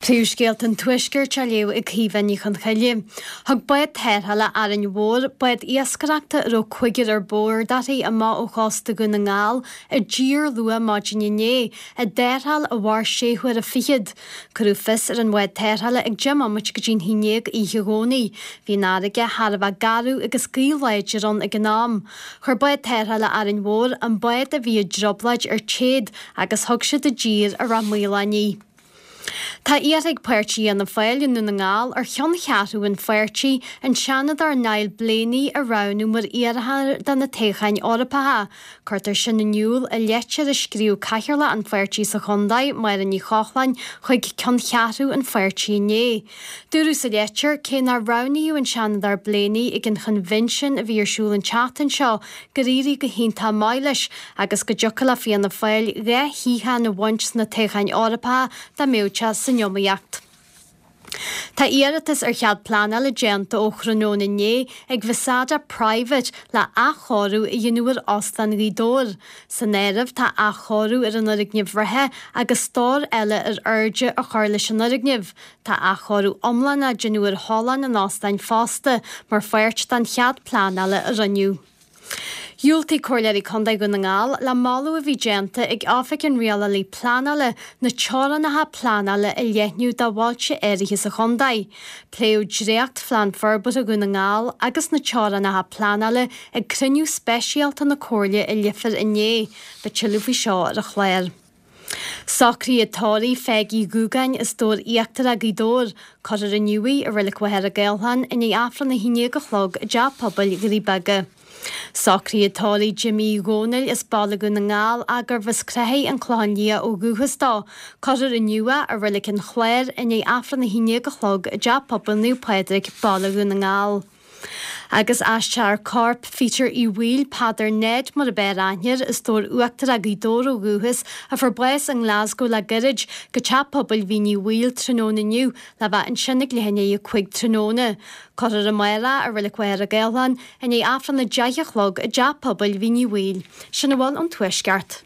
Príomhscéalta an Tuaiscirt á léamh ag Caoimhe Ní Chonchoille. Thug bád tarrthála Árainn Mhór, bád iascaireachta a raibh cúigear ar bord uirthi amach ó chósta Dhún na nGall i dtír luath maidin inné, i dtarrtháil a mhair sé huaire fichead. Cuireadh fios ar an bhád tarrthála ag 10 mbomaite go dtí'n haon dhéag oíche Dhomhnaigh. Bhí an fharraige thar a bheith garbh agus gaoth láidir ann ag an am. Chuir bád tarrthála Árainn Mhór an bád a bhí i dtrioblóid ar téad agus thug siad i dtír i Ráth Maoláin í. Tá iarrtha ag Páirtí Fhianna Fáil i nDún na nGall ar cheanncheathrú an pháirtí, an Seanadóir Niall Blaney a roghnú mar iarrthóir do na toghcháin Eorpacha. Cuirtear sin in iúl i leitir a scríobh Cathaoirleach an pháirtí sa chontae, Máire Ní Chochláin, chuig ceanncheathrú an pháirtí inné. Dúradh sa leitir, cé nár roghnaíodh an Seanadóir Blaney ag an choinbhinsean a bhí ar siúl an tseachtain seo, gur éirigh go hiontach maith leis agus go dtiocfadh le Fianna Fáil 2 shuíochán a bhaint sna toghcháin Eorpacha dá mbeadh sé san iomaíocht. Tá iarratas ar chead pleanála déanta ó thráthnóna inné ag Vasada Private le athchóiriú a dhéanamh ar Óstán Ghaoth Dobhair. San áireamh tá athchóiriú ar an fhoirgneamh reatha agus stór eile ar airde a chur leis an fhoirgneamh. Tá athchóiriú iomlán á déanamh ar thollán an óstáin fosta mar pháirt den chead pleanála a rinneadh. Dhiúltaigh Comhairleoirí Contae Dhún na nGall le moladh a bhí déanta ag Oifig an Rialálaí Pleanála na teorainneacha pleanála a leathnú do bhailte áirithe sa chontae. Pléadh dréacht-Phlean Forbartha Dhún na nGall agus na teorainneacha pleanála ag cruinniú speisialta na Comhairle i Leifear inné. Beidh tuilleadh faoi seo ar an chlár. Socruithe tórraimh Pheig Uí Dhúgáin as Dobhar Íochtarach, Gaoth Dobhair. Cuirfear inniu í i Reilig Mhachaire Gathlán i ndiaidh Aifreann 11 a chlog i dTeach Pobail Dhoirí Beaga. Socruithe tórraimh Jimí Uí Dhónaill as Baile Dhún na nGall ach gurbh as Creathaigh an Clochán Liath ó dhúchas dó. Cuirfear inniu é i Reilig an Chláir i ndiaidh Aifreann 11 a chlog i dTeach Pobail Naomh Pádraig, Baile Dhún na Ngall. Agus aistreofar corp Pheter Uí Bhaoill, Peadar Ned mar ab fhearr aithne air, as Dobhar Uachtarach, Gaoth Dobhair ó dhúchas, a fuair bás i nGlasgow le gairid, go Teach Pobail Mhín Uí Bhaoill tráthnóna inniu le bheith ansin ag leath i ndiaidh 5 tráthnóna. Cuirfear amárach i Reilig Mhachaire Gathlán i ndiaidh Aifreann 10 a chlog i dTeach Pobail Mhín Uí Bhaoill. Sin a bhfuil ón Tuaisceart.